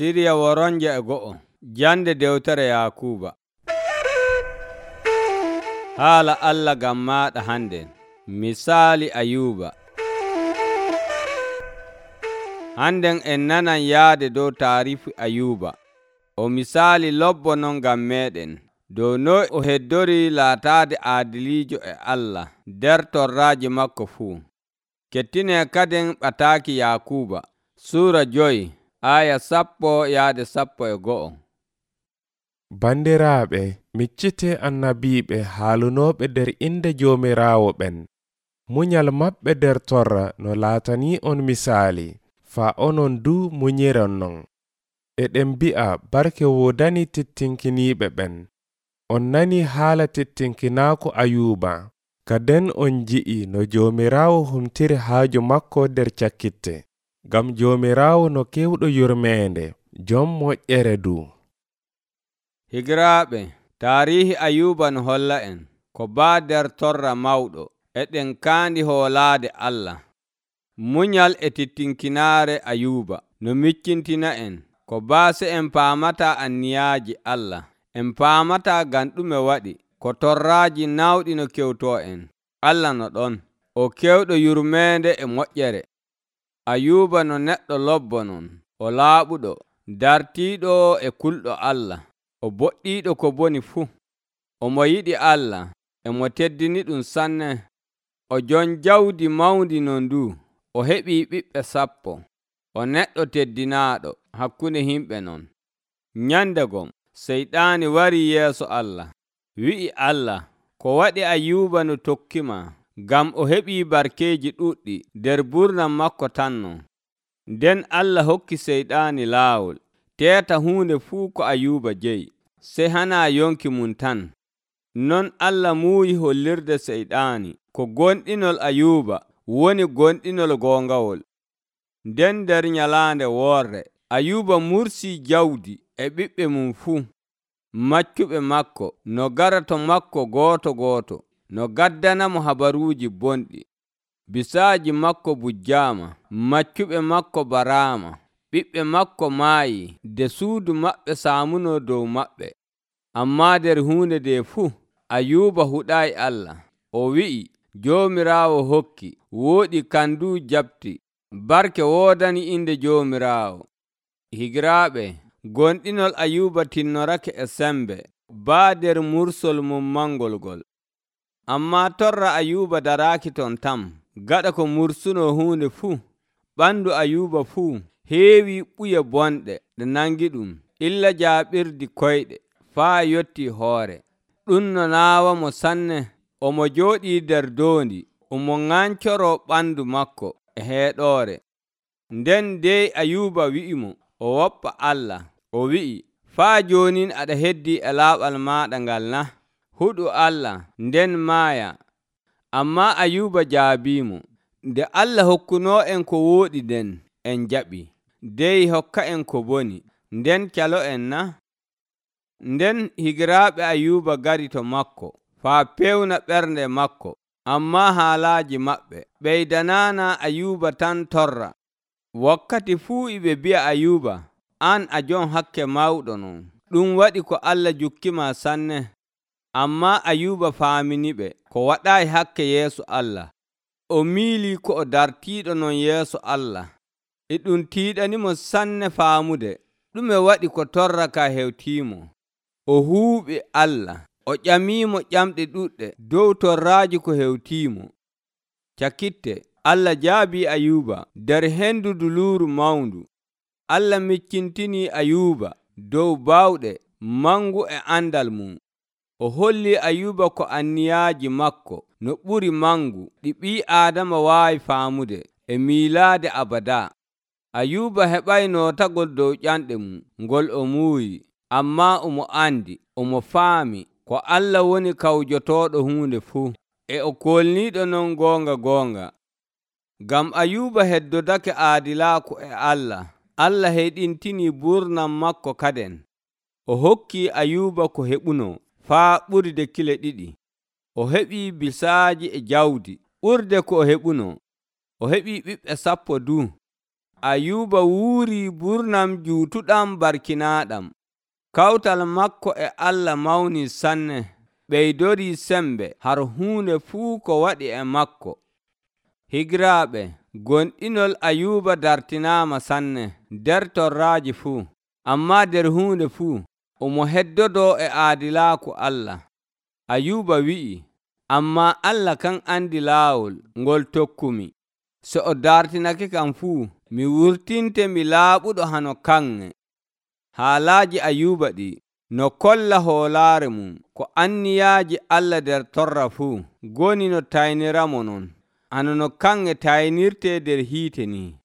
Siriya woronje e go'o. Jande dewtere Yakuuba. Haala Allah gam maaɗa handen. Misaali Ayuuba. Handen en nanan yaade dow taarifu Ayuuba. O misaali lobbo non gam meɗen. Dow noy o heddori laataade aadiliijo e Allah nder torraaji makko fuu. Kettine kaden ɓataaki Yakuuba. Suura 5 aya 10-11. Bandiraaɓe, miccite annabiiɓe haalunooɓe nder inde Joomiraawo ɓen. Munyal maɓɓe nder torra no laatanii on misaali, faa onon du munyiron non. Eɗen mbi'a barke woodani tettinkiniiɓe ɓen. On nani haala tettinkinaako Ayuuba, kaden on nji'i no Joomiraawo humtiri haaju makko nder cakkitte. Ngam Joomiraawo no kewɗo yurmeende, jom moƴƴere du. Higiraaɓe, taarihi Ayuuba no holla en ko baa nder torra mawɗo eɗen kaandi hoolaade Allah. Munyal e tettinkinaare Ayuuba no miccintina en ko baase en paamataa anniyaaji Allah. En paamataa ngam ɗume waɗi ko torraaji nawɗi no kewtoo en. Allah no ɗon, o kewɗo yurmeende e moƴƴere. Ayuuba no neɗɗo lobbo non, o laaɓuɗo, dartiiɗo e kulɗo Allah, o boɗɗiiɗo ko boni fuu. Omo yiɗi Allah, emo teddini ɗum sanne. O jon jawdi mawndi non du, o heɓii ɓiɓɓe 10. O neɗɗo teddinaaɗo hakkunde himɓe non. Nyandegom, Seyɗaani warii yeeso Allah, wi'i Allah, ko waɗi Ayuuba no tokkima, ngam o heɓii barkeeji ɗuɗɗi nder burnam makko tan non. Nden Allah hokki Seyɗaani laawol, teeta huunde fuu ko Ayuuba jeyi, sey hanaa yonki mum tan. Non Allah muuyi hollirde Seyɗaani ko gonɗinol Ayuuba woni gonɗinol goongawol. Nden nder nyalaande woorde, Ayuuba mursii jawdi e ɓiɓɓe mum fuu. Maccuɓe makko no gara to makko gooto gooto, no gaddanamo habaruuji bonɗi. Bisaaji makko bujjaama, maccuɓe makko baraama, ɓiɓɓe makko maayi, de suudu maɓɓe saamunoo dow maɓɓe. Ammaa nder huunde nde fuu, Ayuuba huɗaayi Allah. O wi'i, Joomiraawo hokki, wooɗi kandu jabti, barke woodani inde Joomiraawo. Higiraaɓe, gonɗinol Ayuuba tinnorake e sembe, baa nder mursol mum mangol ngol. Ammaa torra Ayuuba daraaki ton tam, gaɗa ko mursunoo huunde fuu. Ɓandu Ayuuba fuu heewii ɓuye bonɗe ɗe nangi ɗum, illa jaaɓirdi koyɗe, faa yotti hoore. Ɗum no naawamo sanne. Omo jooɗii nder doondi, omo ŋancoroo ɓandu makko e heeɗoore. Nden dey Ayuuba wi'imo o woppa Allah. O wi'i, faa joonin aɗa heddii e laaɓal maaɗa ngal na? Huɗu Allah, nden maaya. Ammaa Ayuuba jaabiimo. Nde Allah hokkunoo en ko wooɗi nden, en jaɓi. Dey hokka en ko boni, nden calo en na? Nden higiraaɓe Ayuuba gari to makko, faa pewna ɓernde makko. Ammaa haalaaji maɓɓe ɓeydanaana Ayuuba tan torra. Wakkati fuu iɓe bi'a Ayuuba, an a jon hakke mawɗo non. Ɗum waɗi ko Allah jukkima sanne. Ammaa Ayuuba faaminiɓe ko waɗaayi hakke yeeso Allah. O miilii ko o dartiiɗo non yeeso Allah. E ɗum tiiɗanimo sanne faamude ɗume waɗi ko torra ka hewtiimo. O huuɓi Allah. O ƴamiimo ƴamɗe ɗuɗɗe dow torraaji ko hewtiimo. Cakkitte, Allah jaabii Ayuuba nder hendu duluuru mawndu. Allah miccintinii Ayuuba dow baawɗe mangu e andal mum. O hollii Ayuuba ko anniyaaji makko no ɓuri mangu ɗi ɓii Aadama waawi faamude e miilaade abadaa. Ayuuba heɓay nootagol dow ƴanɗe mum ngol o muuyi, ammaa omo andi, omo faami ko Allah woni kawjotooɗo huunde fuu, e o kolniiɗo non goonga goonga. Ngam Ayuuba heddodake aadilaaku e Allah, Allah heɗintinii burnam makko kaden. O hokkii Ayuuba ko heɓunoo faa ɓurde kile 2. O heɓii bisaaji e jawdi ɓurde ko o heɓunoo. O heɓii ɓiɓɓe 10 du. Ayuba wuuri burnam juutuɗam barkinaaɗam. Kawtal makko e Allah mawni sanne, ɓeydorii sembe har huunde fuu ko waɗi e makko. Higiraaɓe, gonɗinol Ayuba dartinaama sanne nder torraaji fuu, ammaa nder huunde fuu omo heddodoo e aadilaaku Allah. Ayuba wi'i, ammaa Allah kan andi laawol ngol tokkumi. So o dartinake kam fuu, mi wurtinte mi laaɓuɗo hano kanŋe. Haalaaji Ayuba ɗi no kolla hoolaare mum ko anniyaaji Allah nder torra fuu goni no tayniramo non, hano no kanŋe taynirtee nder hiite ni.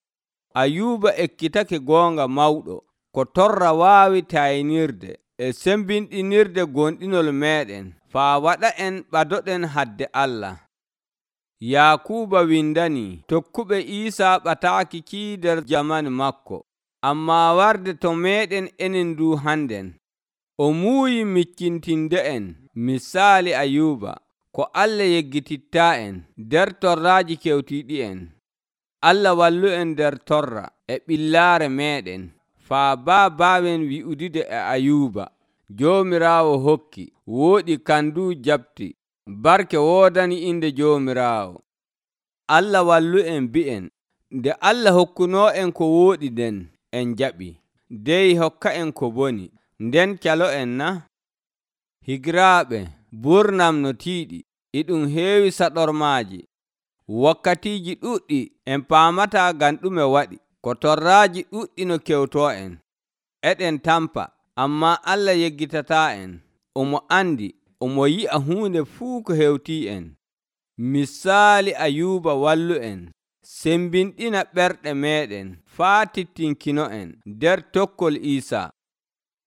Ayuba ekkitake goonga mawɗo ko torra waawi taynirde e sembinɗinirde gonɗinol meeɗen faa waɗa en ɓadoɗen hadde Allah. Yakuuba windanii tokkuɓe Iisaa ɓataaki kii nder jamani makko, ammaa warde to meeɗen enen du hannden. O muuyi miccintinde en misaali Ayuba ko Allah yeggitittaa en nder torraaji kewtiiɗi'en. Allah wallu en nder torra e ɓillaare meeɗen faa baawen wi'udude e Ayuba. Joomiraawo hokki, wooɗi kandu jaɓti, barke woodani inde Joomiraawo. Allah wallu en bi'en, nde Allah hokkunoo en ko wooɗi nden en jaɓi, dey hokka en ko boni, nden calo en na? Higiraaɓe, burnam no tiiɗi, iɗum heewi saɗormaaji. Wakkatiiji ɗuɗɗi en paamataa ngam ɗume waɗi, ko torraaji ɗuɗɗi no kewtoo en. Eɗen tampa, ammaa Allah yeggitataa en. Omo andi, omo yi'a huunde fuu ko hewtii en. Misaali Ayuba wallu en, sembinɗina ɓerɗe meeɗen faa tittinkino en nder tokkol Iisaa.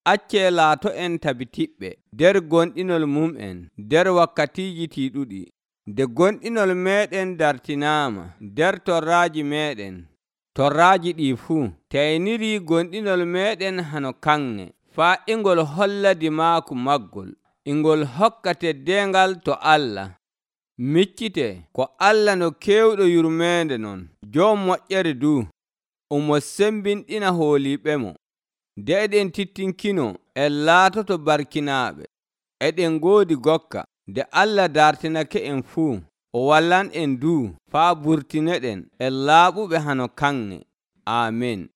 Accee laato en tabitiɓɓe nder gonɗinol mum'en nder wakkatiiji tiiɗuɗi. Nde gonɗinol meeɗen dartinaama nder torraaji meeɗen, torraaji ɗii fuu taynirii gonɗinol meeɗen hano kanŋe, faa ingol holla dimaaku maggol, ingol hokka teddeengal to Allah. Miccite ko Allah no keewɗo yurmeende non, jom moƴƴere du, omo sembinɗina hooliiɓemo. Nde eɗen tittinkino, en laatoto barkinaaɓe, eɗen ngoodi gokka. Nde Allah dartinake en fuu, o wallan en du faa burtineɗen en laaɓuɓe hano kanŋe. Amin.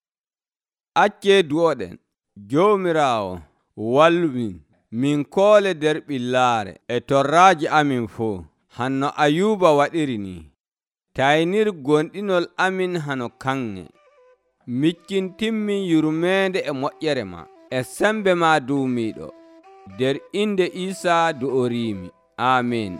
Accee du'oɗen. Joomiraawo, wallu min koole nder ɓillaare e torraaji amin fuu, hanno Ayuba waɗiri ni. Taynir gonɗinol amin hano kanŋe. Miccintinmin yurmeende e moƴƴere ma e sembe ma duumiiɗo. Nder inde Iisaa du'oriimi. Amin.